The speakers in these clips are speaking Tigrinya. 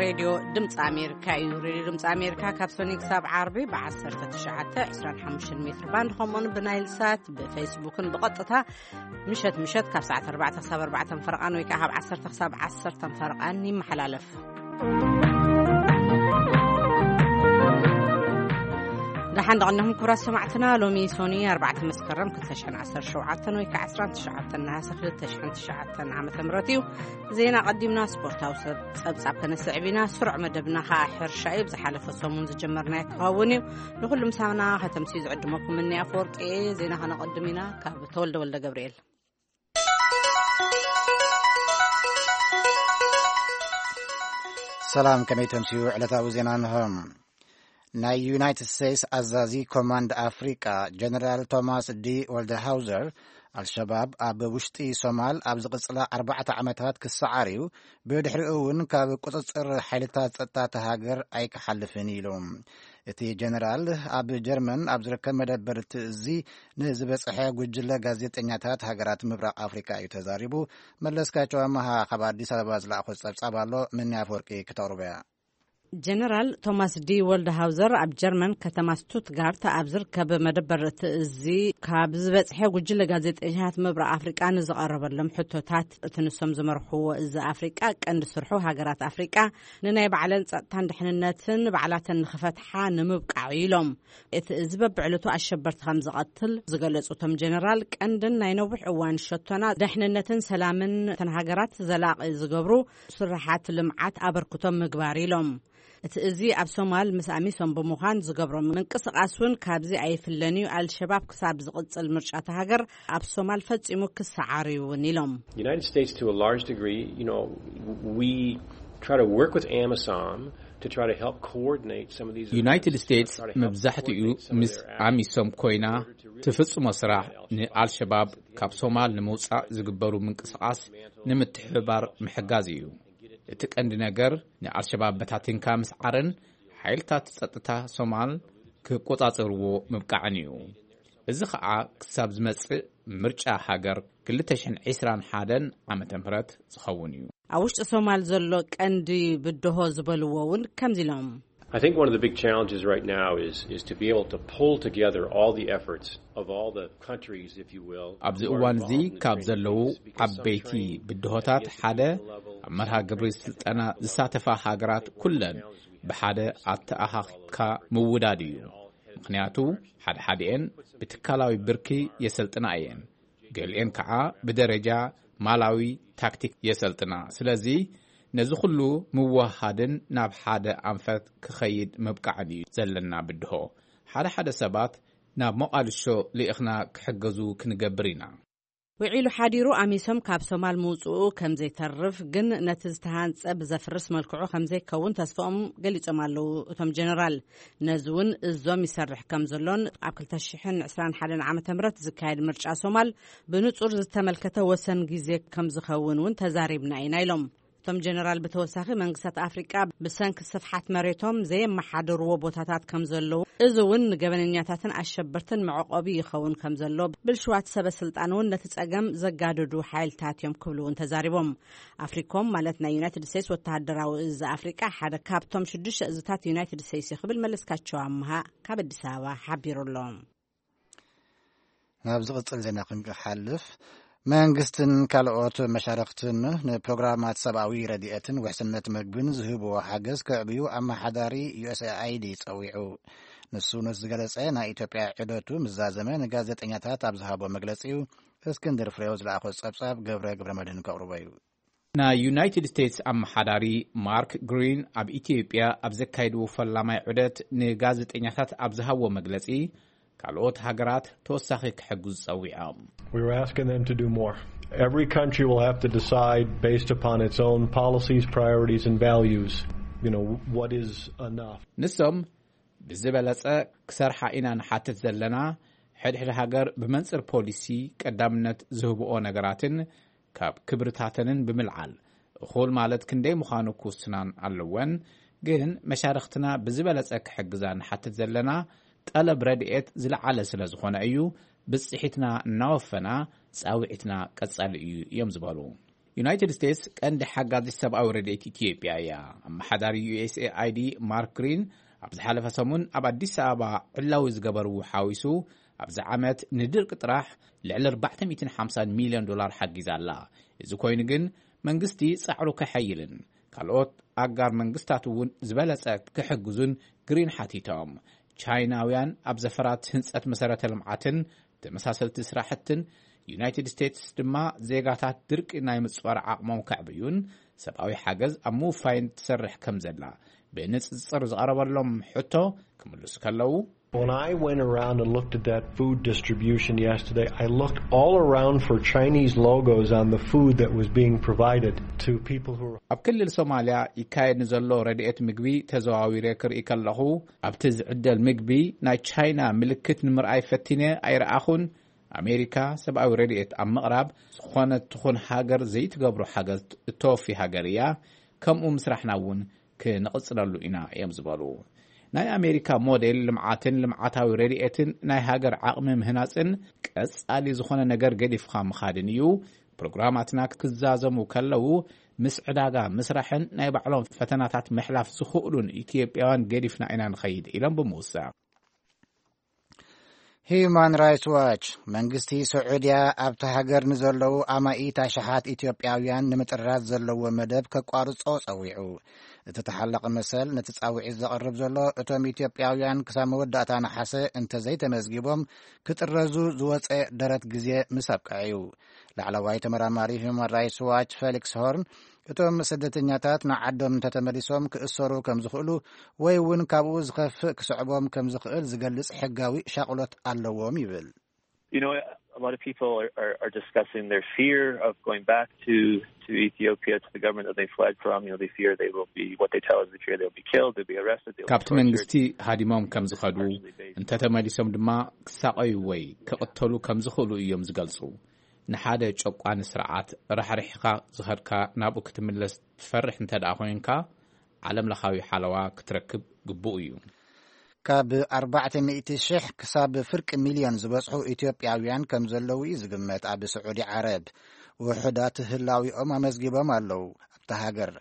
ሬድዮ ድምፂ ኣሜሪካ እዩ። ሬድዮ ድምፂ ኣሜሪካ ካብ ሰኒ ክሳብ ዓርቢ ብ19፣ 25 ሜትር ባንድ፣ ከምኡውን ብናይል ሳት፣ ብፌስቡክን ብቐጥታ ምሸት ምሸት ካብ ሰዓት ኣርባዕተ ክሳብ ኣርባዕተ ፈረቓን ወይ ከዓ ካብ ዓሰርተ ክሳብ ዓሰርተ ፈረቓን ይመሓላለፍ። ደሓን ደቐንኹም ክቡራት ሰማዕትና። ሎሚ ሶኒ ኣርባዕተ መስከረም ክልተ ሽሕን ዓሰርተ ሸውዓተን ወይ ከዓ ዓሰርተ ትሽዓተ ነሓሰ ክልተ ሽሕን ትሽዓተን ዓመተ ምህረት እዩ። ዜና ቀዲምና ስፖርታዊ ሰብ-፣ ጸብጻብ ከነስዕብ ኢና። ስሩዕ መደብና ከዓ ሕርሻ እዩ። ብዝሓለፈ ሰሙን ዝጀመርናዮ ክኸውን እዩ። ንኹሉ ምሳና ከተምስዩ ዝዕድመኩም እኒ ኣፈወርቂ እየ። ዜና ከነቐድም ኢና። ካብ ተወልደ ወልደ ገብርኤል። ሰላም፣ ከመይ ተምስዩ? ዕለታዊ ዜና እንሆ። ናይ ዩናይትድ ስቴትስ ኣዛዚ ኮማንድ ኣፍሪቃ ጀነራል ቶማስ ዲ ወልደሃውዘር፣ ኣልሸባብ ኣብ ውሽጢ ሶማል ኣብ ዝቕጽላ ኣርባዕተ ዓመታት ክሰዓር እዩ፣ ብድሕሪኡ እውን ካብ ቁጽጽር ሓይልታት ጸጥታ እታ ሃገር ኣይክሓልፍን ኢሉ። እቲ ጀነራል ኣብ ጀርመን ኣብ ዝርከብ መደበር እቲ እዚ ንዝበጽሐ ጉጅለ ጋዜጠኛታት ሃገራት ምብራቕ ኣፍሪካ እዩ ተዛሪቡ። መለስካቸው ኣመሃ ካብ ኣዲስ ኣበባ ዝለኣኾ ጸብጻብ ኣሎ፣ ምኒ ኣፈወርቂ ክተቕርቦ እያ። ጀነራል ቶማስ ዲ ወልድሃውዘር ኣብ ጀርመን ከተማ ስቱትጋርት ኣብ ዝርከብ መደበር እቲ እዚ ካብ ዝበጽሐ ጉጅለ ጋዜጠኛታት ምብራቕ ኣፍሪቃ ንዝቐረበሎም ሕቶታት፣ እቲ ንሶም ዝመርሕዎ እዚ ኣፍሪቃ ቀንዲ ስርሑ ሃገራት ኣፍሪቃ ንናይ ባዕለን ጸጥታን ድሕንነትን ባዕላተን ንኽፈትሓ ንምብቃዕ ኢሎም። እቲ እዚ በብዕለቱ ኣሸበርቲ ከም ዝቐትል ዝገለጹ እቶም ጀነራል፣ ቀንድን ናይ ነዊሕ እዋን ሸቶና ደሕንነትን ሰላምን እተን ሃገራት ዘላቒ ዝገብሩ ስራሓት ልምዓት ኣበርክቶ ምግባር ኢሎም። እቲ እዚ ኣብ ሶማል ምስ ኣሚሶም ብምዃን ዝገብሮ ምንቅስቓስ እውን ካብዚ ኣይፍለን እዩ። ኣልሸባብ ክሳብ ዝቕጽል ምርጫ እታ ሃገር ኣብ ሶማል ፈጺሙ ክሰዓር እዩ እውን ኢሎም። United States, to a large degree, you know, we try to work with amisom to try to help coordinate some of these ዩናይትድ efforts, ስቴትስ try to help መብዛሕትኡ coordinate some of ምስ their actions ኣሚሶም ኮይና in order to really ትፍጽሞ ስራሕ፣ ንኣልሸባብ ካብ ሶማል ንምውጻእ ዝግበሩ ምንቅስቓስ ንምትሕብባር ምሕጋዝ እዩ። እቲ ቀንዲ ነገር ንኣልሸባብ በታቲንካ ምስዓርን ሓይልታት ጸጥታ ሶማል ክቆጻጽርዎ ምብቃዕን እዩ። እዚ ኸኣ ክሳብ ዝመጽእ ምርጫ ሃገር ክልተ ሽሕን ዕስራን ሓደን ዓመተ ምህረት ዝኸውን እዩ። ኣብ ውሽጢ ሶማል ዘሎ ቀንዲ ብድሆ ዝበልዎ እውን ከምዚ ኢሎም። I think one of the big challenges right now is, is to be able to pull together all the efforts of all the countries, if you will, ኣብዚ who are እዋን እዚ involved in ካብ training ዘለዉ these, because some ዓበይቲ train ብድሆታት at the ሓደ institutional level, ኣብ መርሃ ግብሪ ስልጠና ዝሳተፋ ሃገራት ኩለን ብሓደ ኣተኣኻኺብካ ምውዳድ እዩ። ምኽንያቱ ሓደ ሓደኤን ብትካላዊ ብርኪ የሰልጥና እየን፣ ገሊኤን ከዓ ብደረጃ ማላዊ ታክቲክ የሰልጥና። ስለዚ ነዚ ኩሉ ምወሃድን ናብ ሓደ ኣንፈት ክኸይድ ምብቃዕን እዩ ዘለና ብድሆ። ሓደ ሓደ ሰባት ናብ ሞቓድሾ ልኢኽና ክሕገዙ ክንገብር ኢና። ውዒሉ ሓዲሩ ኣሚሶም ካብ ሶማል ምውፅኡ ከም ዘይተርፍ፣ ግን ነቲ ዝተሃንፀ ብዘፍርስ መልክዑ ከም ዘይከውን ተስፋኦም ገሊጾም ኣለዉ እቶም ጀነራል። ነዚ እውን እዞም ይሰርሕ ከም ዘሎን ኣብ ክልተ ሽሕን ዕስራን ሓደን ዓመተ ምህረት ዝካየድ ምርጫ ሶማል ብንጹር ዝተመልከተ ወሰን ግዜ ከም ዝኸውን እውን ተዛሪብና ኢና ኢሎም። እቶም ጀነራል ብተወሳኺ መንግስታት ኣፍሪቃ ብሰንኪ ስፍሓት መሬቶም ዘየመሓደርዎ ቦታታት ከም ዘለዉ፣ እዚ እውን ንገበነኛታትን ኣሸበርትን መዕቆቢ ይኸውን ከም ዘሎ፣ ብልሽዋት ሰበ ስልጣን እውን ነቲ ጸገም ዘጋደዱ ሓይልታት እዮም ክብሉ እውን ተዛሪቦም። ኣፍሪኮም ማለት ናይ ዩናይትድ ስቴትስ ወተሃደራዊ እዚ ኣፍሪቃ ሓደ ካብቶም ሽዱሽተ እዝታት ዩናይትድ ስቴትስ እዩ ክብል መለስካቸው ኣምሃ ካብ ኣዲስ ኣበባ ሓቢሩ ኣሎ። ናብ ዝቕጽል ዜና ክንሓልፍ፣ መንግስትን ካልኦት መሻርኽትን ንፕሮግራማት ሰብኣዊ ረድኤትን ውሕስነት ምግብን ዝህብዎ ሓገዝ ከዕብዩ ኣመሓዳሪ ዩ ኤስ ኤ ኣይ ዲ ጸዊዑ። ንሱ ነዚ ዝገለጸ ናይ ኢትዮጵያ ዑደቱ ምስ ዛዘመ ንጋዜጠኛታት ኣብ ዝሃቦ መግለጺ እዩ። እስክንድር ፍሬው ዝለኣኾ ጸብጻብ ገብረ ገብረ መድህን ከቕርቦ እዩ። ናይ ዩናይትድ ስቴትስ ኣመሓዳሪ ማርክ ግሪን ኣብ ኢትዮጵያ ኣብ ዘካየድዎ ፈላማይ ዑደት ንጋዜጠኛታት ኣብ ዝሃብዎ መግለጺ፣ ካልኦት ሃገራት ተወሳኺ ክሕግዙ ጸዊዖም። We were asking them to do more. Every country will have to decide based upon its own policies, priorities, and values, you know, what is enough. ንሶም ብዝበለጸ ክሰርሓ ኢና ንሓትት ዘለና፣ ሕድሕድ ሃገር ብመንጽር ፖሊሲ ቀዳምነት ዝህብኦ ነገራትን ካብ ክብርታተንን ብምልዓል፣ እኹል ማለት ክንደይ ምዃኑ ክውስናን ኣለወን። ግን መሻርኽትና ብዝበለጸ ክሕግዛ ንሓትት ዘለና፣ ጠለብ ረድኤት ዝለዓለ ስለ ዝኾነ እዩ። ብጽሒትና እናወፈና ጻውዒትና ቀጻሊ እዩ እዮም ዝበሉ። ዩናይትድ ስቴትስ ቀንዲ ሓጋዚት ሰብኣዊ ረድኤት ኢትዮጵያ እያ። ኣመሓዳሪ ዩ ኤስ ኤ ኣይ ዲ ማርክ ግሪን ኣብ ዝሓለፈ ሰሙን ኣብ ኣዲስ ኣበባ ዕላዊ ዝገበርዎ ሓዊሱ፣ ኣብዚ ዓመት ንድርቂ ጥራሕ ልዕሊ ኣርባዕተ ሚእትን ሓምሳን ሚልዮን ዶላር ሓጊዛ ኣላ። እዚ ኮይኑ ግን መንግስቲ ጻዕሩ ከሐይልን ካልኦት ኣጋር መንግስታት እውን ዝበለጸ ክሕግዙን ግሪን ሓቲቶም። ቻይናውያን ኣብ ዘፈራት ህንጸት መሰረተ ልምዓትን ተመሳሰልቲ ስራሕትን፣ ዩናይትድ ስቴትስ ድማ ዜጋታት ድርቂ ናይ ምጽዋር ዓቕሞም ከዕብዩን ሰብኣዊ ሓገዝ ኣብ ምውፋይን ትሰርሕ ከም ዘላ ብንጽጽር ዝቐረበሎም ሕቶ ክምልሱ ከለዉ፣ When I went around and looked at that food distribution yesterday, I looked all around for Chinese logos on the food that was being provided to people who were ኣብ ክልል ሶማልያ ይካየድ ንዘሎ ረድኤት ምግቢ ተዘዋዊረ ክርኢ ከለኹ፣ ኣብቲ ዝዕደል ምግቢ ናይ ቻይና ምልክት ንምርኣይ ፈቲነ ኣይረኣኹን። ኣሜሪካ ሰብኣዊ ረድኤት ኣብ ምቕራብ ዝኾነት ትኹን ሃገር ዘይትገብሮ ሓገዝ እተወፊ ሃገር እያ። ከምኡ ምስራሕና እውን ክንቕጽለሉ ኢና እዮም ዝበሉ። ናይ ኣሜሪካ ሞዴል ልምዓትን ልምዓታዊ ረድኤትን ናይ ሃገር ዓቕሚ ምህናጽን ቀጻሊ ዝኾነ ነገር ገዲፍኻ ምኻድን እዩ። ፕሮግራማትና ክዛዘሙ ከለዉ ምስ ዕዳጋ ምስራሕን ናይ ባዕሎም ፈተናታት ምሕላፍ ዝኽእሉን ኢትዮጵያውያን ገዲፍና ኢና ንኸይድ ኢሎም ብምውሳእ። ሂዩማን ራይትስ ዋች መንግስቲ ስዑድያ ኣብቲ ሃገር ንዘለዉ ኣማኢት ኣሽሓት ኢትዮጵያውያን ንምጥራዝ ዘለዎ መደብ ከቋርጾ ጸዊዑ። እቲ ተሓላቒ መሰል ነቲ ጻውዒት ዘቕርብ ዘሎ እቶም ኢትዮጵያውያን ክሳብ መወዳእታ ነሓሰ እንተዘይተመዝጊቦም ክጥረዙ ዝወጸ ደረት ግዜ ምስ ኣብቅዐ እዩ። ላዕለዋይ ተመራማሪ ሂዩማን ራይትስ ዋች ፌሊክስ ሆርን እቶም ስደተኛታት ንዓዶም እንተተመሊሶም ክእሰሩ ከም ዝኽእሉ ወይ እውን ካብኡ ዝኸፍእ ክስዕቦም ከም ዝኽእል ዝገልጽ ሕጋዊ ሻቕሎት ኣለዎም ይብል። You know, a lot of people are, are, are discussing their fear of going back to, to Ethiopia, to the government that they fled from. You know, they fear they will be, what they tell us, they fear they'll be killed, they'll be arrested, they'll be ካብቲ tortured. መንግስቲ ሃዲሞም ከም ዝኸዱ፣ እንተተመሊሶም ድማ ክሳቐዩ ወይ ክቕተሉ ከም ዝኽእሉ እዮም ዝገልጹ። ንሓደ ጨቋኒ ስርዓት ራሕሪሕኻ ዝኸድካ ናብኡ ክትምለስ ትፈርሕ እንተ ደኣ ኮይንካ፣ ዓለም ለኻዊ ሓለዋ ክትረክብ ግቡእ እዩ። ካብ ኣርባዕተ ሚእቲ ሽሕ ክሳብ ፍርቂ ሚልዮን ዝበጽሑ ኢትዮጵያውያን ከም ዘለዉ እዩ ዝግመት። ኣብ ስዑዲ ዓረብ ውሑዳት ህላዊኦም ኣመዝጊቦም ኣለዉ። ኣብታ ሃገር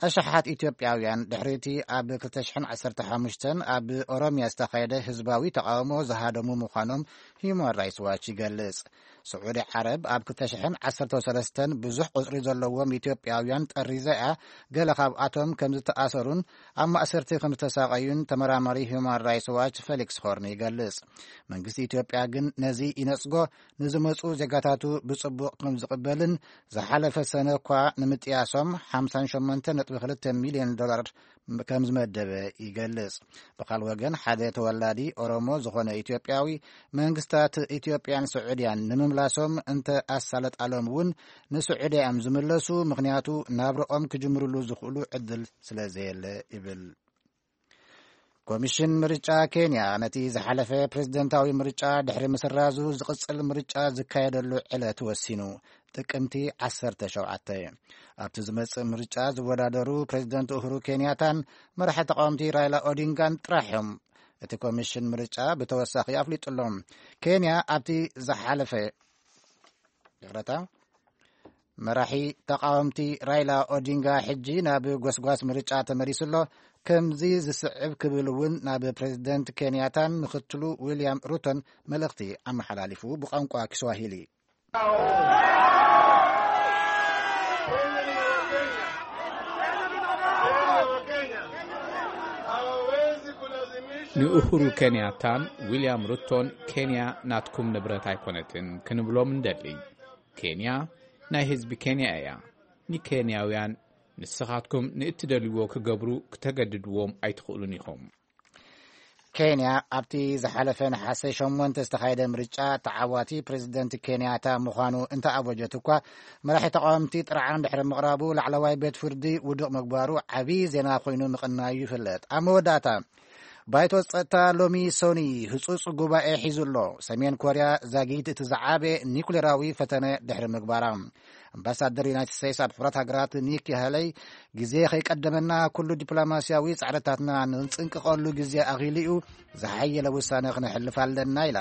ኣሽሓት ኢትዮጵያውያን ድሕሪቲ ኣብ ክልተ ሽሕን ዓሰርተ ሓሙሽተን ኣብ ኦሮምያ ዝተኻየደ ህዝባዊ ተቓውሞ ዝሃደሙ ምዃኖም ሂዩማን ራይትስ ዋች ይገልጽ። ስዑዲ ዓረብ ኣብ ክልተ ሽሕን ዓሰርተ ሰለስተን ብዙሕ ቁጽሪ ዘለዎም ኢትዮጵያውያን ጠሪዛ እያ። ገለ ካብኣቶም ከም ዝተኣሰሩን ኣብ ማእሰርቲ ከም ዝተሳቐዩን ተመራማሪ ሂዩማን ራይትስ ዋች ፌሊክስ ሆርን ይገልጽ። መንግስቲ ኢትዮጵያ ግን ነዚ ይነጽጎ፣ ንዝመጹ ዜጋታቱ ብጽቡቕ ከም ዝቕበልን ዝሓለፈ ሰነ እኳ ንምጥያሶም ሓምሳን ሸሞንተ ነጥቢ ክልተ ሚልዮን ዶላር ከም ዝመደበ ይገልጽ። ብኻል ወገን ሓደ ተወላዲ ኦሮሞ ዝኾነ ኢትዮጵያዊ መንግስታት ኢትዮጵያን ስዑድያን ንምምላሶም እንተ ኣሳለጣሎም እውን ንስዑድያ እዮም ዝምለሱ፣ ምኽንያቱ ናብረኦም ክጅምርሉ ዝኽእሉ ዕድል ስለ ዘየለ ይብል። ኮሚሽን ምርጫ ኬንያ ነቲ ዝሓለፈ ፕሬዝደንታዊ ምርጫ ድሕሪ ምስራዙ ዝቕጽል ምርጫ ዝካየደሉ ዕለት ወሲኑ። ጥቅምቲ ዓሰርተ ሸውዓተ ኣብቲ ዝመጽእ ምርጫ ዝወዳደሩ ፕሬዝደንት ኡሁሩ ኬንያታን መራሒ ተቃወምቲ ራይላ ኦዲንጋን ጥራሕ እዮም። እቲ ኮሚሽን ምርጫ ብተወሳኺ ኣፍሊጡ ኣሎ። ኬንያ ኣብቲ ዝሓለፈ ይቕረታ መራሒ ተቃወምቲ ራይላ ኦዲንጋ ሕጂ ናብ ጎስጓስ ምርጫ ተመሊሱ ኣሎ። ከምዚ ዝስዕብ ክብል እውን ናብ ፕሬዝደንት ኬንያታን ምክትሉ ዊልያም ሩቶን መልእኽቲ ኣመሓላሊፉ ብቋንቋ ኪስዋሂሊ። ንኡሁሩ ኬንያታን ዊልያም ሩቶን፣ ኬንያ ናትኩም ንብረት ኣይኮነትን ክንብሎም እንደሊ። ኬንያ ናይ ህዝቢ ኬንያ እያ። ንኬንያውያን ንስኻትኩም ንእትደልይዎ ክገብሩ ክተገድድዎም ኣይትኽእሉን ኢኹም። ኬንያ ኣብቲ ዝሓለፈ ነሓሰ ሸሞንተ ዝተኻየደ ምርጫ ተዓዋቲ ፕሬዝደንት ኬንያታ ምዃኑ እንተኣወጀት እኳ፣ መራሒ ተቃወምቲ ጥርዓን ድሕሪ ምቕራቡ ላዕለዋይ ቤት ፍርዲ ውዱቕ ምግባሩ ዓብዪ ዜና ኮይኑ ምቕናዩ ይፍለጥ። ኣብ መወዳእታ ባይቶ ጸጥታ ሎሚ ሶኒ ህጹጽ ጉባኤ ሒዙ ኣሎ። ሰሜን ኮርያ ዛጊት እቲ ዝዓበየ ኒኩሌራዊ ፈተነ ድሕሪ ምግባራ። ኣምባሳደር ዩናይትድ ስቴትስ ኣብ ሕቡራት ሃገራት ኒኪ ሃለይ፣ ግዜ ከይቀደመና ኩሉ ዲፕሎማስያዊ ጻዕርታትና ንጽንቅቐሉ ግዜ ኣኺሉ እዩ፣ ዝሓየለ ውሳነ ክነሕልፍ ኣለና ኢላ።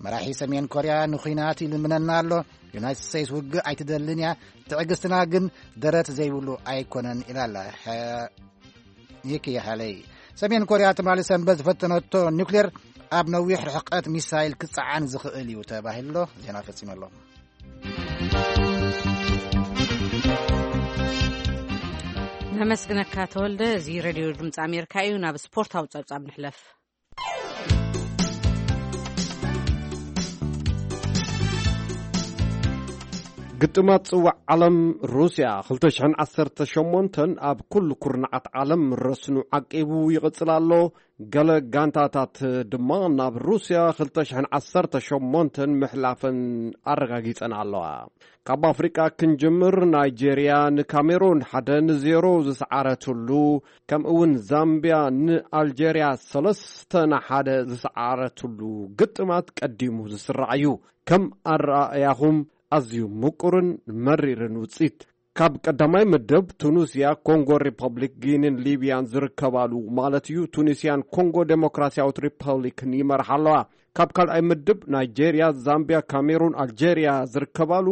መራሒ ሰሜን ኮርያ ንኹናት ይልምነና ኣሎ፣ ዩናይትድ ስቴትስ ውግእ ኣይትደልን እያ፣ ትዕግስትና ግን ደረት ዘይብሉ ኣይኮነን ኢላ ኣላ። ኒኪ ሃለይ። ሰሜን ኮርያ ትማሊ ሰንበት ዝፈተነቶ ኒውክሌር ኣብ ነዊሕ ርሕቀት ሚሳይል ክጸዓን ዝኽእል እዩ ተባሂሉ ኣሎ። ዜና ፈጺመ ኣሎ። ነመስግነካ ተወልደ። እዚ ሬድዮ ድምፂ ኣሜሪካ እዩ። ናብ ስፖርታዊ ጸብጻብ ንሕለፍ። ግጥማት ጽዋዕ ዓለም ሩስያ ክልተ ሽሕን ዓሰርተ ሸሞንተን ኣብ ኩሉ ኩርናዓት ዓለም ረስኑ ዓቂቡ ይቕጽል ኣሎ። ገለ ጋንታታት ድማ ናብ ሩስያ ክልተ ሽሕን ዓሰርተ ሸሞንተን ምሕላፈን ኣረጋጊጸን ኣለዋ። ካብ ኣፍሪቃ ክንጅምር፣ ናይጄርያ ንካሜሩን ሓደ ንዜሮ ዝሰዓረትሉ፣ ከምኡ እውን ዛምቢያ ንኣልጀርያ ሰለስተ ንሓደ ዝሰዓረትሉ ግጥማት ቀዲሙ ዝስራዕ እዩ። ከም ኣረኣእያኹም ኣዝዩ ምቁርን መሪርን ውጽኢት። ካብ ቀዳማይ ምድብ ቱኒስያ፣ ኮንጎ ሪፐብሊክ፣ ጊኒን ሊብያን ዝርከባሉ ማለት እዩ። ቱኒስያን ኮንጎ ዴሞክራሲያዊት ሪፐብሊክን ይመርሓ ኣለዋ። ካብ ካልኣይ ምድብ ናይጄርያ፣ ዛምቢያ፣ ካሜሩን፣ ኣልጄርያ ዝርከባሉ፣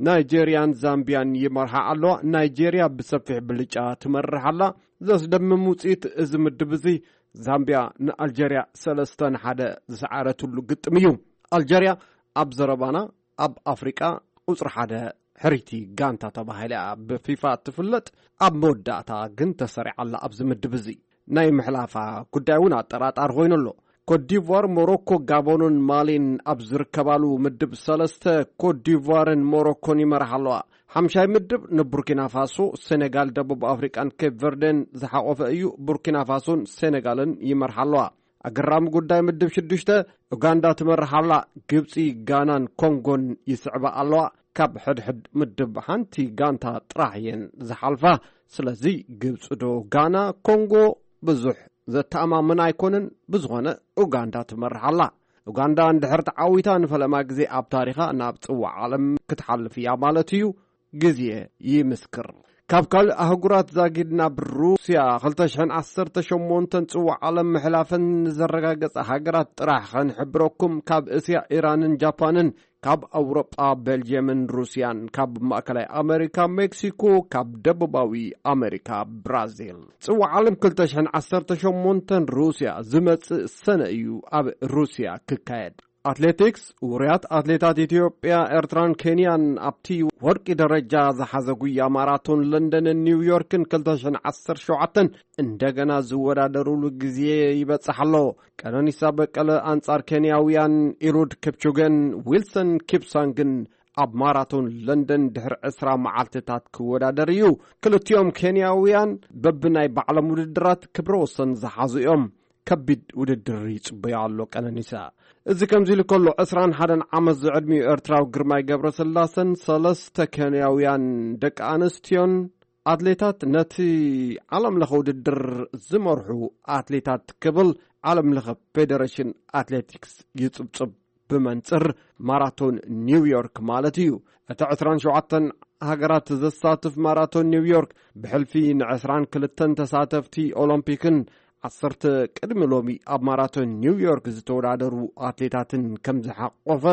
ናይጄርያን ዛምቢያን ይመርሓ ኣለዋ። ናይጄርያ ብሰፊሕ ብልጫ ትመርሕ ኣላ። ዘስደምም ውፅኢት እዚ ምድብ እዚ ዛምቢያ ንኣልጄርያ ሰለስተ ንሓደ ዝሰዓረትሉ ግጥም እዩ። ኣልጄርያ ኣብ ዘረባና ኣብ ኣፍሪቃ ቁጽሪ ሓደ ሕርይቲ ጋንታ ተባሂላ ብፊፋ ትፍለጥ፣ ኣብ መወዳእታ ግን ተሰሪዓ ኣላ። ኣብዚ ምድብ እዚ ናይ ምሕላፋ ጉዳይ እውን ኣጠራጣሪ ኮይኑ ኣሎ። ኮትዲቯር፣ ሞሮኮ፣ ጋቦንን ማሊን ኣብ ዝርከባሉ ምድብ ሰለስተ ኮትዲቯርን ሞሮኮን ይመርሓ ኣለዋ። ሓምሻይ ምድብ ንቡርኪና ፋሶ፣ ሴኔጋል፣ ደቡብ ኣፍሪቃን ኬፕ ቨርደን ዝሓቆፈ እዩ። ቡርኪና ፋሶን ሴኔጋልን ይመርሓ ኣለዋ። ኣገራሚ ጉዳይ ምድብ ሽዱሽተ፣ ኡጋንዳ ትመርሕ ኣላ። ግብጺ፣ ጋናን ኮንጎን ይስዕባ ኣለዋ። ካብ ሕድሕድ ምድብ ሓንቲ ጋንታ ጥራሕ እየን ዝሓልፋ። ስለዚ ግብጺ ዶ ጋና፣ ኮንጎ ብዙሕ ዘተኣማምን ኣይኮነን። ብዝኾነ ኡጋንዳ ትመርሕ ኣላ። ኡጋንዳ እንድሕር ተዓዊታ ንፈለማ ግዜ ኣብ ታሪኻ ናብ ጽዋዕ ዓለም ክትሓልፍ እያ ማለት እዩ። ግዜ ይምስክር። ካብ ካልእ ኣህጉራት ዛጊድ ናብ ሩስያ ክልተ ሽሕን ዓሰርተ ሸሞንተን ጽዋዕ ዓለም ምሕላፈን ንዘረጋገጻ ሃገራት ጥራሕ ኸንሕብረኩም። ካብ እስያ ኢራንን ጃፓንን፣ ካብ ኣውሮጳ ቤልጅየምን ሩስያን፣ ካብ ማእከላይ ኣመሪካ ሜክሲኮ፣ ካብ ደቡባዊ ኣመሪካ ብራዚል። ጽዋዕ ዓለም ክልተ ሽሕን ዓሰርተ ሸሞንተን ሩስያ ዝመጽእ ሰነ እዩ ኣብ ሩስያ ክካየድ። ኣትሌቲክስ፣ ውሩያት ኣትሌታት ኢትዮጵያ፣ ኤርትራን ኬንያን ኣብቲ ወርቂ ደረጃ ዝሓዘ ጉያ ማራቶን ለንደንን ኒውዮርክን ክልተ ሽሕን ዓሰርተ ሸውዓተን እንደገና ዝወዳደሩሉ ግዜ ይበጽሕ ኣሎ። ቀነኒሳ በቀለ ኣንጻር ኬንያውያን ኢሉድ ኪፕቹገን ዊልሰን ኪፕሳንግን ኣብ ማራቶን ለንደን ድሕሪ ዕስራ መዓልትታት ክወዳደር እዩ። ክልቲኦም ኬንያውያን በብናይ ባዕሎም ውድድራት ክብረ ወሰን ዝሓዙ እዮም። ከቢድ ውድድር ይጽበዮ ኣሎ ቀነኒሳ። እዚ ከምዚ ኢሉ ከሎ፣ ዕስራን ሓደን ዓመት ዝዕድሚኡ ኤርትራዊ ግርማይ ገብረስላሰን ሰለስተ ኬንያውያን ደቂ ኣንስትዮን ኣትሌታት ነቲ ዓለም ለኸ ውድድር ዝመርሑ ኣትሌታት ክብል ዓለም ለኸ ፌደሬሽን ኣትሌቲክስ ይጽብጽብ። ብመንጽር ማራቶን ኒውዮርክ ማለት እዩ። እቲ ዕስራን ሸውዓተን ሃገራት ዘሳትፍ ማራቶን ኒውዮርክ ብሕልፊ ንዕስራን ክልተን ተሳተፍቲ ኦሎምፒክን ዓሰርተ ቅድሚ ሎሚ ኣብ ማራቶን ኒውዮርክ ዝተወዳደሩ ኣትሌታትን ከም ዝሓቆፈ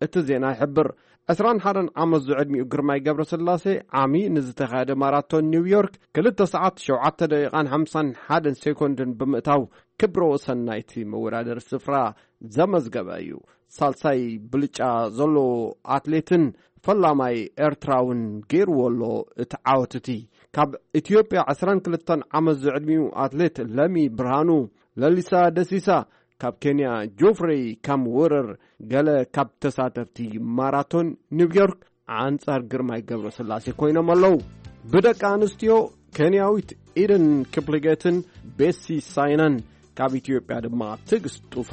እቲ ዜና ይሕብር። ዕስራን ሓደን ዓመት ዝዕድሚኡ ግርማይ ገብረስላሴ ዓሚ ንዝተኻየደ ማራቶን ኒውዮርክ ክልተ ሰዓት ሸውዓተ ደቂቓን ሓምሳን ሓደን ሴኮንድን ብምእታው ክብረ ወሰን ናይቲ መወዳደሪ ስፍራ ዘመዝገበ እዩ። ሳልሳይ ብልጫ ዘለዎ ኣትሌትን ፈላማይ ኤርትራውን ገይርዎ ኣሎ እቲ ዓወት እቲ። ካብ ኢትዮጵያ ዕስራን ክልተን ዓመት ዝዕድሚኡ ኣትሌት ለሚ ብርሃኑ፣ ለሊሳ ደሲሳ፣ ካብ ኬንያ ጆፍሬይ ካምወረር፣ ገለ ካብ ተሳተፍቲ ማራቶን ኒውዮርክ ኣንጻር ግርማይ ገብረስላሴ ኮይኖም ኣለዉ። ብደቂ ኣንስትዮ ኬንያዊት ኢደን ክፕሊጌትን ቤሲ ሳይናን፣ ካብ ኢትዮጵያ ድማ ትዕግስት ጡፋ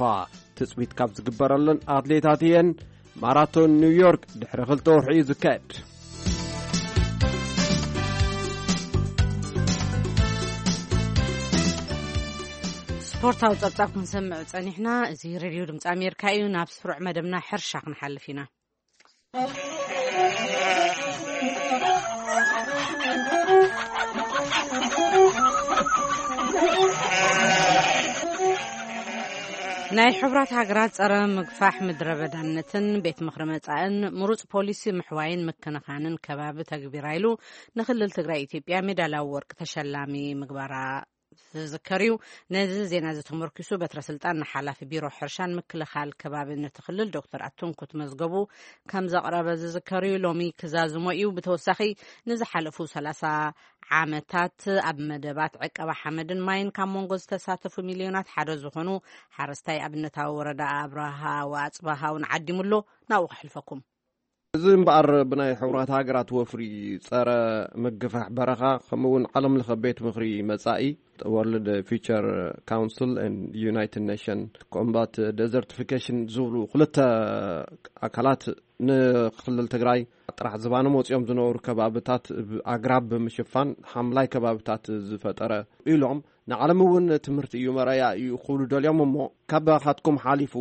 ትጽቢት ካብ ዝግበረለን ኣትሌታት እየን። ማራቶን ኒውዮርክ ድሕሪ ክልተ ወርሒ እዩ ዝካየድ። ስፖርታዊ ጸብጻብ ክንሰምዕ ጸኒሕና። እዚ ሬድዮ ድምፂ ኣሜሪካ እዩ። ናብ ስሩዕ መደብና ሕርሻ ክንሓልፍ ኢና። ናይ ሕቡራት ሃገራት ጸረ ምግፋሕ ምድረ በዳነትን ቤት ምኽሪ መጻእን ምሩጽ ፖሊሲ ምሕዋይን ምክንኻንን ከባቢ ተግቢራ ኢሉ ንክልል ትግራይ ኢትዮጵያ ሜዳልያዊ ወርቂ ተሸላሚ ምግባራ ዝዝከር እዩ። ነዚ ዜና እዚ ተመርኪሱ በትረ ስልጣን ንሓላፊ ቢሮ ሕርሻን ምክልኻል ከባቢ ነቲ ክልል ዶክተር ኣትንኩት መዝገቡ ከም ዘቕረበ ዝዝከር እዩ። ሎሚ ክዛዝሞ እዩ። ብተወሳኺ ንዝሓለፉ ሰላሳ ዓመታት ኣብ መደባት ዕቀባ ሓመድን ማይን ካብ መንጎ ዝተሳተፉ ሚልዮናት ሓደ ዝኾኑ ሓረስታይ ኣብነታዊ ወረዳ ኣብርሃ ወኣፅባሃ እውን ዓዲሙ ኣሎ። ናብኡ ከሕልፈኩም። እዚ እምበኣር ብናይ ሕቡራት ሃገራት ወፍሪ ጸረ ምግፋሕ በረኻ ከምኡ እውን ዓለም ለኸ ቤት ምኽሪ መጻኢ ወርልድ ፊቸር ካውንስል ዩናይትድ ኔሽን ኮምባት ደዘርቲፊኬሽን ዝብሉ ክልተ ኣካላት ንክልል ትግራይ ጥራሕ ዝባኖም ወፂኦም ዝነበሩ ከባብታት ኣግራብ ብምሽፋን ሓምላይ ከባብታት ዝፈጠረ ኢሎም ንዓለም እውን ትምህርቲ እዩ መረያ እዩ ክብሉ ደልዮም እሞ ካባኻትኩም ሓሊፉ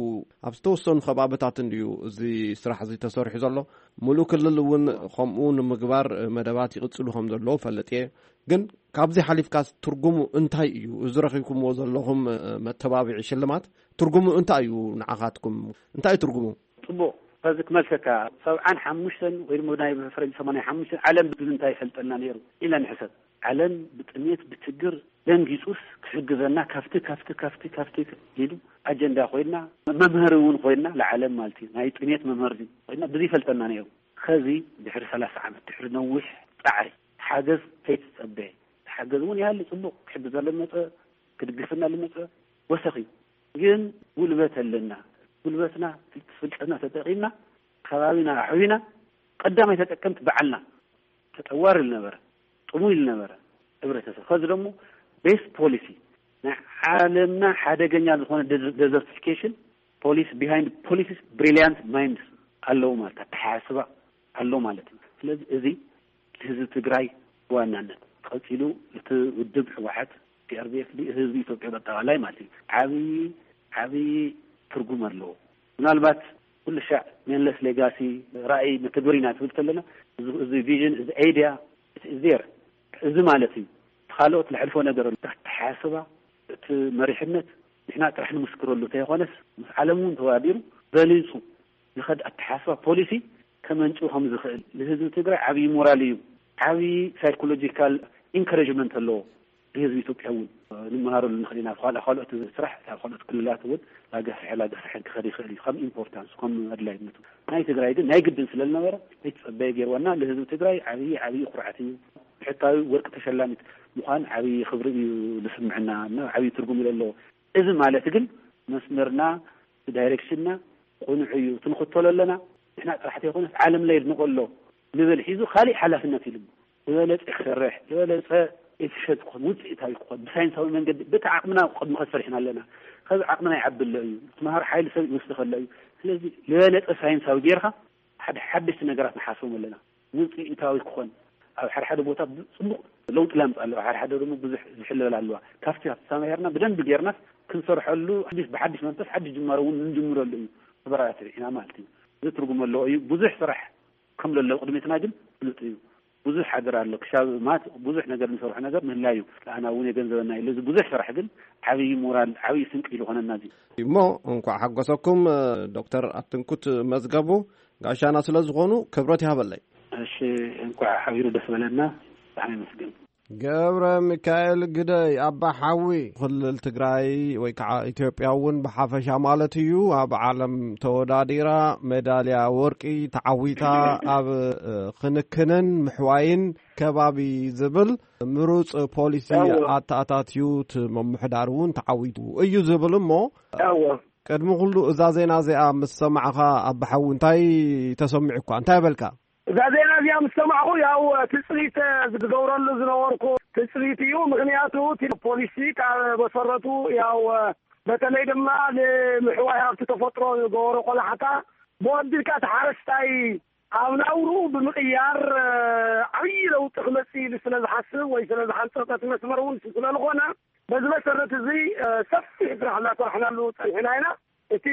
ኣብ ዝተወሰኑ ከባብታት እንድዩ እዚ ስራሕ እዚ ተሰሪሑ ዘሎ። ሙሉእ ክልል እውን ከምኡ ንምግባር መደባት ይቕፅሉ ከም ዘለዉ ፈልጥ እየ። ግን ካብዚ ሓሊፍካስ ትርጉሙ እንታይ እዩ? እዚ ረኺብኩምዎ ዘለኹም መተባብዒ ሽልማት ትርጉሙ እንታይ እዩ ንዓኻትኩም? እንታይ እዩ ትርጉሙ? ጽቡቕ። ከዚ ክመልሰካ፣ ሰብዓን ሓሙሽተን ወይ ድማ ናይ ፈረንጂ ሰማንያ ሓሙሽተን ዓለም ብምንታይ ይፈልጠና ነይሩ ኢልና ንሕሰብ። ዓለም ብጥሜት ብችግር ደንጊጹስ ክሕግዘና ካብቲ ካብቲ ካብቲ ካብቲ ኢሉ ኣጀንዳ ኮይና መምህሪ እውን ኮይና ንዓለም ማለት እዩ። ናይ ጥሜት መምህሪ ኮይና ብዚ ይፈልጠና ነይሩ። ከዚ ድሕሪ ሰላሳ ዓመት ድሕሪ ነዊሕ ጻዕሪ ሓገዝ ከይትጸበየ፣ ሓገዝ እውን ይሃሊ ጽቡቕ ክሕግዘ ለመጸ ክድግፍና ልመጸ ወሰኺ ግን ጉልበት ኣለና። ጉልበትና ፍልጠትና ተጠቂምና ከባቢና ኣሕዊና ቀዳማይ ተጠቀምቲ በዓልና ተጠዋሪ ልነበረ ጥሙይ ልነበረ ሕብረተሰብ ከዚ ደሞ ቤስት ፖሊሲ ናይ ዓለምና ሓደገኛ ዝኾነ ደዘርቲፊኬሽን ፖሊሲ ቢሃይንድ ፖሊሲስ ብሪሊያንት ማይንድስ ኣለዉ ማለት ኣተሓሳስባ ኣሎ ማለት እዩ። ስለዚ እዚ ህዝቢ ትግራይ ብዋናነት ቀፂሉ እቲ ውድብ ህወሓት ፒኣርዲኤፍ ህዝቢ ኢትዮጵያ በጠቃላይ ማለት እዩ ዓብዪ ዓብዪ ትርጉም ኣለዎ። ምናልባት ኩሉ ሻዕ ሜንለስ ሌጋሲ ራእይ መተግበሪ ኢና ትብል ከለና እዚ ቪዥን እዚ ኣይድያ ዜር እዚ ማለት እዩ። ካልኦት ልሕልፎ ነገር ኣሎ ኣተሓስባ እቲ መሪሕነት ንሕና ጥራሕ ንምስክረሉ ተይኮነስ ምስ ዓለም እውን ተዋዲሩ በሊፁ ዝኸድ ኣተሓስባ ፖሊሲ ከመንጭው ከም ዝኽእል ንህዝቢ ትግራይ ዓብዪ ሞራል እዩ። ዓብዪ ሳይኮሎጂካል ኢንካሬጅመንት ኣለዎ። ንህዝቢ ኢትዮጵያ እውን ንምሃረሉ ንኽእል ኢና። ካልኦት ስራሕ ካብ ካልኦት ክልላት እውን ላገፍሐ ላገፍሐ ክኸድ ይኽእል እዩ ከም ኢምፖርታንስ ከም ኣድላይነቱ። ናይ ትግራይ ግን ናይ ግድን ስለ ዝነበረ ዘይተፀበየ ገይርወና ንህዝቢ ትግራይ ዓብዪ ዓብዪ ኩርዓት እዩ። ብሕታዊ ወርቂ ተሸላሚት ምዃን ዓብዪ ክብሪ እዩ ዝስምዕና እና ዓብዪ ትርጉም እዩ ዘለዎ። እዚ ማለት ግን መስመርና ዳይሬክሽንና ቁኑዕ እዩ ትንኽተሎ ኣለና። ንሕና ጥራሕ ተይኮነስ ዓለም ላይ የድንቆ ኣሎ ንብል ሒዙ ካሊእ ሓላፍነት ኢሉ ዝበለፀ ክሰርሕ ዝበለፀ ኤፊሸንት ክኾን ውፅኢታዊ ክኾን ብሳይንሳዊ መንገዲ በቲ ዓቕምና ቅድሚ ከሰርሕና ኣለና። ከዚ ዓቕምና ይዓቢ ኣሎ እዩ። ትምሃር ሓይሊ ሰብ ይወስድ ከሎ እዩ። ስለዚ ዝበለፀ ሳይንሳዊ ጌርካ ሓደ ሓደሽቲ ነገራት ንሓስቦም ኣለና። ውፅኢታዊ ክኾን ኣብ ሓደ ሓደ ቦታ ጽቡቕ ለውጢ ላምፅ ኣለዋ፣ ሓደ ሓደ ደግሞ ብዙሕ ዝሕለል ኣለዋ። ካብቲ ኣብቲ ተማሂርና ብደንቢ ጌርናስ ክንሰርሐሉ ሓድሽ ብሓድሽ መንፈስ ሓድሽ ጅማሮ እውን እንጅምረሉ እዩ። ተበራታትዕ ኢና ማለት እዩ። እዚ ትርጉም ኣለዎ እዩ። ብዙሕ ስራሕ ከም ዘሎ ቅድሚትና ግን ፍሉጥ እዩ። ብዙሕ ሓደር ኣሎ ክሻብ ማት ብዙሕ ነገር ንሰርሖ ነገር ምህላዩ ኣና እውን የገንዘበና ኢሉ እዚ ብዙሕ ስራሕ ግን ዓብዪ ሞራል ዓብዪ ስንቂ ኢሉ ኾነና እዚ እሞ እንኳዕ ሓጎሰኩም ዶክተር ኣትንኩት መዝገቡ ጋሻና ስለ ዝኾኑ ክብረት ይሃበለይ። እሺ እንኳዕ ሓቢሩ ደስ በለና። ብጣዕሚ ይመስገን። ገብረ ሚካኤል ግደይ ኣባ ሓዊ ክልል ትግራይ ወይ ከዓ ኢትዮጵያ እውን ብሓፈሻ ማለት እዩ ኣብ ዓለም ተወዳዲራ ሜዳልያ ወርቂ ተዓዊታ ኣብ ክንክንን ምሕዋይን ከባቢ ዝብል ምሩፅ ፖሊሲ ኣተኣታትዩ እቲ ምምሕዳር እውን ተዓዊቱ እዩ ዝብል እሞ ቅድሚ ኩሉ እዛ ዜና እዚኣ ምስ ሰማዕኻ ኣባ ሓዊ እንታይ ተሰሚዑኳ እንታይ በልካ? እዛ ዜና እዚኣ ምስ ሰማዕኹ ያው ትፅቢት ዝገብረሉ ዝነበርኩ ትፅቢት እዩ። ምክንያቱ እቲ ፖሊሲ ካብ መሰረቱ ያው በተለይ ድማ ንምሕዋይ ሃብቲ ተፈጥሮ ዝገበሮ ቆላሕታ ብወዲልካ እቲ ሓረስታይ ኣብ ናብርኡ ብምቕያር ዓብዪ ለውጢ ክመፅእ ኢሉ ስለ ዝሓስብ ወይ ስለ ዝሓንፀፀ እቲ መስመር እውን ስለዝኾነ በዚ መሰረት እዚ ሰፊሕ ስራሕ እናሰራሕናሉ ፀኒሕና ኢና። እቲ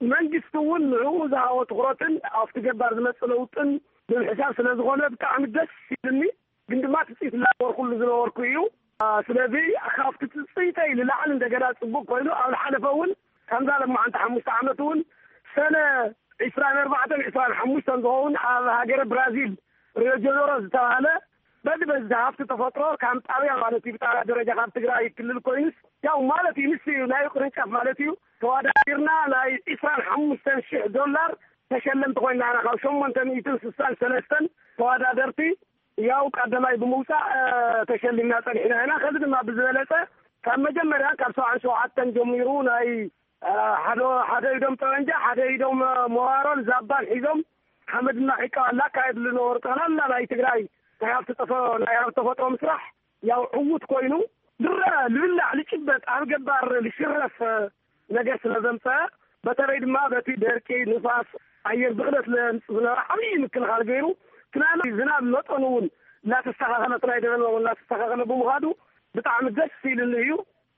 መንግስቲ እውን ንዕኡ ዝሃቦ ትኩረትን ኣብቲ ገባር ዝመፅእ ለውጥን ብምሕሳብ ስለ ዝኾነ ብጣዕሚ ደስ ይብልኒ። ግን ድማ ትፅኢት እናገበርኩሉ ዝነበርኩ እዩ። ስለዚ ካብቲ ትፅኢተይ ንላዕሊ እንደገና ፅቡቅ ኮይኑ ኣብ ዝሓለፈ እውን ከምዛ ለማዓንቲ ሓሙሽተ ዓመት እውን ሰነ ዒስራን ኣርባዕተን ዒስራን ሓሙሽተን ዝኸውን ኣብ ሃገረ ብራዚል ሪዮ ጀነሮ ዝተባህለ በዚ በዚ ሃፍቲ ተፈጥሮ ከም ጣብያ ማለት እዩ ብጣብያ ደረጃ ካብ ትግራይ ክልል ኮይኑስ ያው ማለት እዩ ንሱ እዩ ናይ ቅርንጫፍ ማለት እዩ ተዋዳዲርና ናይ ዒስራን ሓሙሽተን ሽሕ ዶላር ተሸለምቲ ኮይና ኢና ካብ ሸሞንተ ሚእትን ስሳን ሰለስተን ተዋዳደርቲ ያው ቀዳማይ ብምውፃእ ተሸሊምና ፀኒሕና ኢና። ከዚ ድማ ብዝበለፀ ካብ መጀመርያ ካብ ሰብዓን ሸውዓተን ጀሚሩ ናይ ሓደ ሓደ ኢዶም ጠበንጃ ሓደ ኢዶም መዋሮን ዛባን ሒዞም ሓመድና ዒቃ እናካየድሉ ነበሩ። ጠቕላላ ናይ ትግራይ ናይ ሃብቲ ጠፈ ናይ ሃብቲ ተፈጥሮ ምስራሕ ያው ዕዉት ኮይኑ ዝረአ ልብላዕ ልጭበጥ ኣብ ገባር ልሽረፍ ነገር ስለ ዘምፀአ በተለይ ድማ በቲ ደርቂ ንፋስ ኣየር ብክለት ለምፅ ዝነበረ ዓብዪ ምክልኻል ገይሩ ትናለ ዝናብ መጠኑ እውን እናተስተኻኸለ ትናይ ደበና እውን እናተስተኻኸለ ብምዃዱ ብጣዕሚ ደስ ኢልኒ እዩ።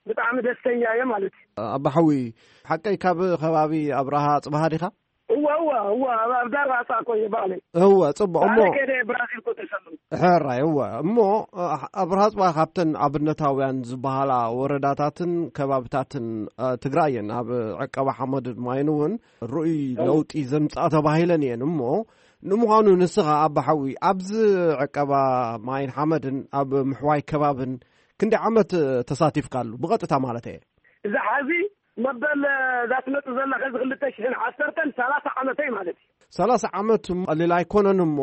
ብጣዕሚ ደስተኛ እየ ማለት እዩ። ኣባሓዊ ሓቀይ ካብ ከባቢ ኣብርሃ ፅባሃ ዲኻ? እወ እወ እወ ኣብ ዳርባፃ እኮ እየ ባዕለይ እወ ፅቡቅ እሞ ባዕለይ ከደ ብራዚል እኮ ተሰምሩ። ሕራይ እወ እሞ ኣብርሃ ፅባሃ ካብተን ኣብነታውያን ዝበሃላ ወረዳታትን ከባብታትን ትግራይ እየን ኣብ ዕቀባ ሓመድን ማይን እውን ርኡይ ለውጢ ዘምፅኣ ተባሂለን እየን እሞ ንምዃኑ ንስኻ ኣባሓዊ ኣብዚ ዕቀባ ማይን ሓመድን ኣብ ምሕዋይ ከባብን ክንዲ ዓመት ተሳቲፍካሉ ብቐጥታ ማለት እየ? እዚ ሓዚ መበል እዛ ትመፅእ ዘላ ከዚ ክልተ ሽሕን ዓሰርተን ሰላሳ ዓመተይ ማለት እዩ። ሰላሳ ዓመት ቀሊል ኣይኮነን እሞ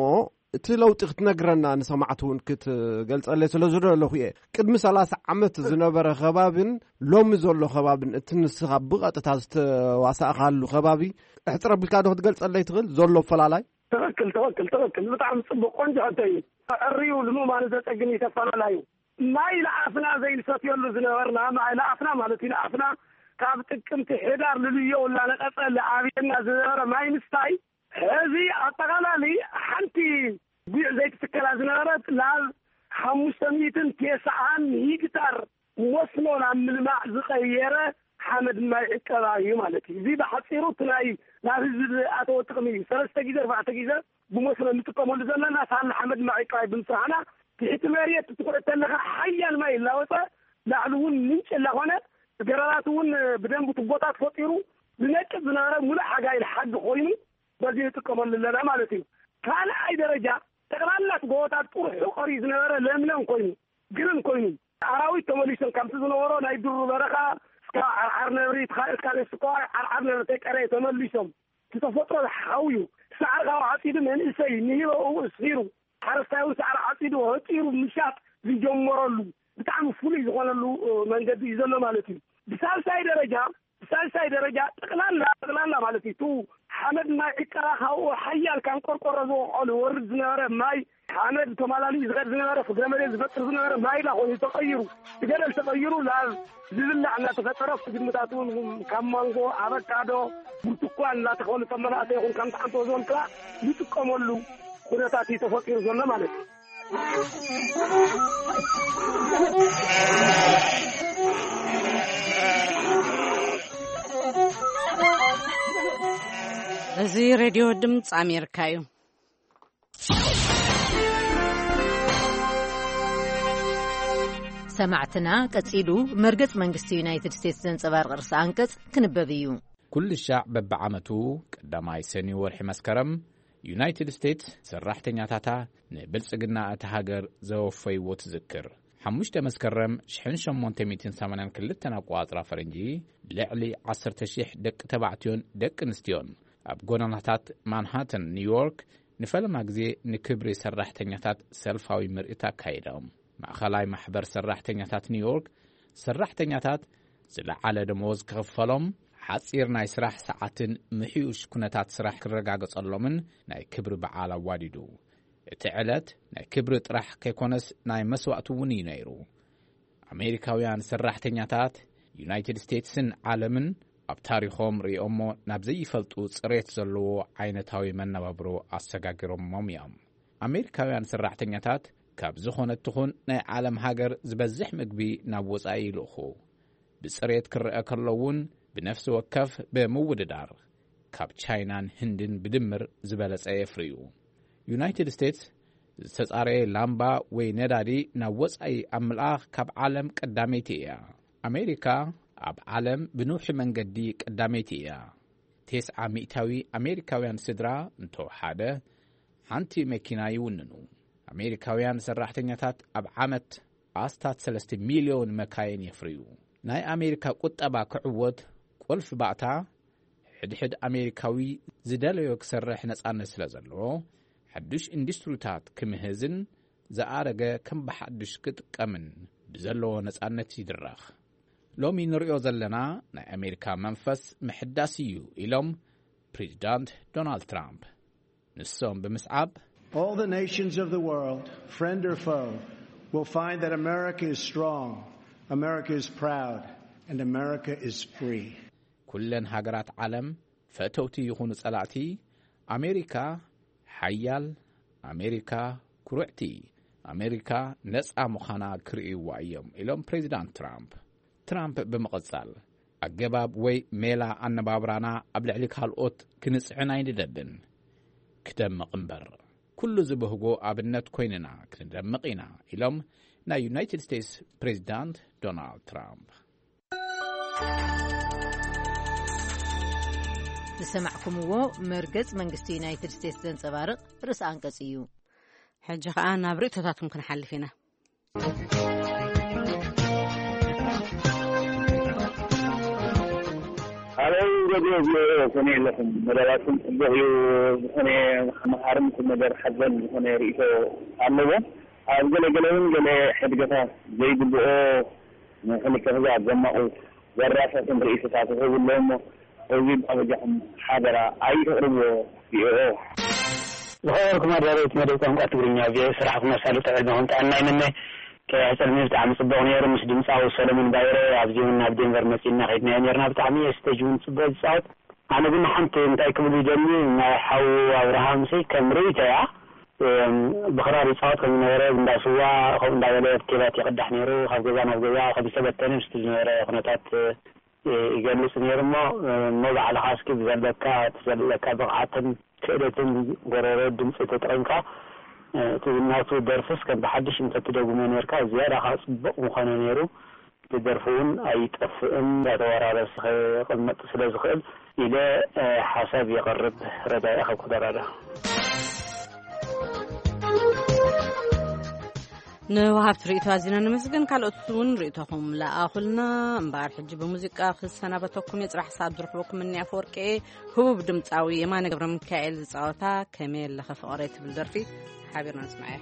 እቲ ለውጢ ክትነግረና ንሰማዕቲ እውን ክትገልፀለይ ስለ ዝደለኹ እየ። ቅድሚ ሰላሳ ዓመት ዝነበረ ከባብን ሎሚ ዘሎ ከባብን እቲ ንስኻ ብቐጥታ ዝተዋሳእካሉ ከባቢ እሕፅር ኣቢልካ ዶ ክትገልፀለይ ትኽእል ዘሎ ፈላላይ? ትኽክል ትኽክል ትኽክል ብጣዕሚ ፅቡቅ ቆንጆ ሕቶ እዩ። ዕርዩ ልምማኑ ዘፀግም እዩ ተፈላላዩ ማይ ለኣፍና ዘይንሰትየሉ ዝነበርና ማይ ለኣፍና ማለት እዩ ለኣፍና ካብ ጥቅምቲ ሕዳር ልልዮ እናነቀፀ ለዓብየና ዝነበረ ማይ ምስታይ ሕዚ ኣጠቃላሊ ሓንቲ ጉዕ ዘይትትከላ ዝነበረት ናብ ሓሙሽተ ሚእትን ቴስዓን ሂግታር መስኖ ናብ ምልማዕ ዝቀየረ ሓመድ ማይ ዕቀባ እዩ ማለት እዩ። እዚ ብሓፂሩ እቲ ናይ ናብ ህዝቢ ዝኣተወ ጥቅሚ እዩ። ሰለስተ ግዜ ኣርባዕተ ግዜ ብመስኖ እንጥቀመሉ ዘለና ሳላ ሓመድ ማይ ዕቀባ ብምስራሕና ትሕቲ መሬት ትኩረት ተለካ ሓያል ማይ እናወፀ ላዕሊ እውን ምንጭ እናኾነ ገረራት እውን ብደንብ ቱቦታት ፈጢሩ ዝነቅፅ ዝነበረ ሙሉእ ሓጋይን ሓጊ ኮይኑ በዚ ንጥቀመሉ ኣለና ማለት እዩ። ካልኣይ ደረጃ ጠቅላላ እቲ ጎቦታት ጥሩሑ ቀርዩ ዝነበረ ለምለም ኮይኑ ግርን ኮይኑ ኣራዊት ተመሊሶም ካብቲ ዝነበሮ ናይ ድሩ በረኻ እስካ ዓርዓር ነብሪ ተኻኢልካ ነስካ ዓርዓር ነብሪ ተቀረ ተመሊሶም እቲ ተፈጥሮ ዝሓውዩ ሳዕሪ ካብ ዓፂዱ መንእሰይ ንሂሮ እው እስኪሩ ሓረስታይ እውን ሳዕሪ ዓፂዱ ህፂሩ ምሻጥ ዝጀመረሉ ብጣዕሚ ፍሉይ ዝኾነሉ መንገዲ እዩ ዘሎ ማለት እዩ። ብሳልሳይ ደረጃ ብሳልሳይ ደረጃ ጠቅላላ ጠቅላላ ማለት እዩ። እቲ ሓመድ ማይ ዕቀባ ካብኡ ሓያል ካብ ቆርቆሮ ዝወቀሉ ወርድ ዝነበረ ማይ ሓመድ ተማላሊ ዝኸድ ዝነበረ ፍግረ መሬት ዝፈጥር ዝነበረ ማይ ዳ ኮይኑ ተቀይሩ ብገደል ተቀይሩ ናብ ዝብላዕ እናተፈጠረ እቲ ግድምታት እውን ካብ ማንጎ ኣበካዶ ብርቱኳን እናተኸሉ ከም መናእሰይ ይኹን ከም ተዓንቶ ዞን ጥራ ይጥቀመሉ ኩነታት እዩ ተፈጢሩ ዘሎ ማለት እዩ። እዚ ሬድዮ ድምፂ ኣሜሪካ እዩ። ሰማዕትና ቀጺሉ መርገጽ መንግስቲ ዩናይትድ ስቴትስ ዘንጸባርቕ ርእሰ ኣንቀጽ ክንበብ እዩ። ኩሉ ሻዕ በብዓመቱ ቀዳማይ ሰኒ ወርሒ መስከረም ዩናይትድ ስቴትስ ሰራሕተኛታታ ንብልጽግና እታ ሃገር ዘወፈይዎ ትዝክር። ሓሙሽተ መስከረም ሽሕን ሸሞንተ ሚእትን ሰማንያን ክልተን ኣቆጻጽራ ፈረንጂ ልዕሊ ዓሰርተ ሽሕ ደቂ ተባዕትዮን ደቂ ኣንስትዮን ኣብ ጎደናታት ማንሃተን ኒውዮርክ ንፈለማ ግዜ ንክብሪ ሰራሕተኛታት ሰልፋዊ ምርኢት ኣካይዶም። ማእኸላይ ማሕበር ሰራሕተኛታት ኒውዮርክ ሰራሕተኛታት ዝለዓለ ደመወዝ ክኽፈሎም፣ ሓጺር ናይ ስራሕ ሰዓትን ምሕዩሽ ኩነታት ስራሕ ክረጋገጸሎምን ናይ ክብሪ በዓል ኣዋዲዱ። እቲ ዕለት ናይ ክብሪ ጥራሕ ከይኮነስ ናይ መስዋእቲ እውን እዩ ነይሩ። ኣሜሪካውያን ሰራሕተኛታት ዩናይትድ ስቴትስን ዓለምን ኣብ ታሪኾም ርእዮሞ ናብ ዘይፈልጡ ጽሬት ዘለዎ ዓይነታዊ መነባብሮ ኣሰጋጊሮሞም እዮም። ኣሜሪካውያን ሰራሕተኛታት ካብ ዝኾነት ትኹን ናይ ዓለም ሃገር ዝበዝሕ ምግቢ ናብ ወጻኢ ይልእኹ። ብጽሬት ክረአ ከሎ እውን ብነፍሲ ወከፍ ብምውድዳር ካብ ቻይናን ህንድን ብድምር ዝበለጸ የፍርዩ። ዩናይትድ ስቴትስ ዝተጻረየ ላምባ ወይ ነዳዲ ናብ ወጻኢ ኣብ ምልኣኽ ካብ ዓለም ቀዳመይቲ እያ። ኣሜሪካ ኣብ ዓለም ብንውሒ መንገዲ ቀዳመይቲ እያ። ተስዓ ሚእታዊ ኣሜሪካውያን ስድራ እንተወሓደ ሓንቲ መኪና ይውንኑ። ኣሜሪካውያን ሰራሕተኛታት ኣብ ዓመት ኣስታት ሰለስተ ሚልዮን መካይን የፍርዩ። ናይ ኣሜሪካ ቁጠባ ክዕወት ቁልፊ ባእታ ሕድሕድ ኣሜሪካዊ ዝደለዮ ክሰርሕ ነጻነት ስለ ዘለዎ፣ ሓዱሽ ኢንዱስትሪታት ክምህዝን ዝኣረገ ከም ብሓዱሽ ክጥቀምን ብዘለዎ ነጻነት ይድረኽ። ሎሚ ንሪኦ ዘለና ናይ ኣሜሪካ መንፈስ ምሕዳስ እዩ ኢሎም ፕሬዚዳንት ዶናልድ ትራምፕ። ንሶም ብምስዓብ All the nations of the world, friend or foe, will find that America is strong, America is proud, and America is free. ኩለን ሃገራት ዓለም ፈተውቲ ይኹኑ ጸላእቲ ኣሜሪካ ሓያል፣ ኣሜሪካ ኩርዕቲ፣ ኣሜሪካ ነጻ ምዃና ክርእይዋ እዮም ኢሎም ፕሬዚዳንት ትራምፕ። ትራምፕ ብምቕጻል ኣገባብ ወይ ሜላ ኣነባብራና ኣብ ልዕሊ ካልኦት ክንጽዕን ኣይንደልን። ክደምቕ እምበር ኩሉ ዝበህጎ ኣብነት ኮይንና ክንደምቕ ኢና ኢሎም ናይ ዩናይትድ ስቴትስ ፕሬዚዳንት ዶናልድ ትራምፕ። ዝሰማዕኩምዎ መርገጽ መንግስቲ ዩናይትድ ስቴትስ ዘንጸባርቕ ርእሲ ኣንቀጽ እዩ። ሕጂ ኸኣ ናብ ርእይቶታትኩም ክንሓልፍ ኢና። ኣበይ ሬድዮ ቪኦኤ ከመይ ኣለኹም? መደባትኩም ጽቡቕ እዩ። ዝኾነ መሃርን ቁም ነገር ሓዘል ዝኾነ ርእይቶ ኣለዎ። ኣብ ገለ ገለ እውን ገለ ሕድገታት ዘይግብኦ ንክልተ ህዝቢ ዘማቑ ዘራሳትን ርእይቶታት ይህቡ ኣለዉ እሞ፣ እዚ ባበጃኹም ሓደራ ኣይተቕርብዎ። ቪኦኤ። ዝኸበርኩም ኣዳለውቲ መደብ ቋንቋ ትግርኛ ቪኦኤ፣ ስራሕኩም ኣሳልጦ ዕድመኹም ጥዕና ይምነ። ከያሕጸልሚ ብጣዕሚ ጽቡቕ ነይሩ ምስ ድምጻዊ ሰለሙን ባይረ፣ ኣብዚ እውን ናብ ዴንቨር መጺእና ከይድናዮ ነይርና። ብጣዕሚ እየ ስቴጅ እውን ጽቡቕ ዝጻወት። ኣነ ግን ሓንቲ እንታይ ክብል ይደሊ፣ ናይ ሓዉ ኣብርሃምሲ ከም ርእይቶያ፣ እም፣ ብኽራር ይጻወት ከም ዝነበረ፣ እንዳ ስዋ ከምኡ እንዳበለ ኬባት ይቕዳሕ ነይሩ፣ ካብ ገዛ ናብ ገዛ ከም ዝተበተነ ምስቲ ዝነበረ ኩነታት፣ እ፣ ይገልጽ ነይሩ እሞ፣ እሞ ባዕልኻ እስኪ ብዘለካ፣ እቲ ዘለካ ብቕዓትን ክእለትን ጎረሮ ድምጺ ተጠቒምካ፣ እ፣ እቲ ናቱ ደርፍስ ከም ብሓድሽ እንተትደግሞ ነርካ፣ ዝያዳ ከኣ ጽቡቕ ምኾነ ነይሩ። እቲ ደርፊ እውን ኣይጠፍእን፣ እንዳተወራረሰ ክቕመጥ ስለ ዝኽእል ኢለ፣ እ፣ ሓሳብ የቕርብ። ረዳኢ ካብ ኮሎራዶ። ንወሃብቲ ርእይቶ ኣዚና ነመስግን። ካልኦት እውን ርእይቶኹም ለኣኹልና። እምበኣር ሕጂ ብሙዚቃ ክሰናበተኩም እየ። ጽባሕ ሰዓት ዝርኽበኩም እኒ ኣፈወርቂ እየ። ህቡብ ድምጻዊ የማነ ገብረ ሚካኤል ዝጻወታ ከመይ ኣለኸ ፍቕረይ ትብል ደርፊ ሓቢርና ንስምዓያ።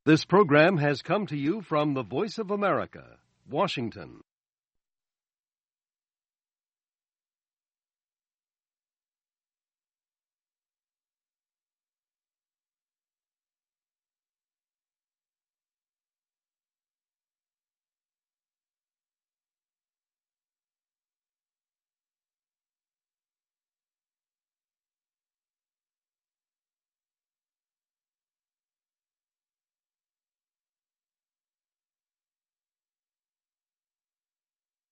This program has come to you from the Voice of America, Washington.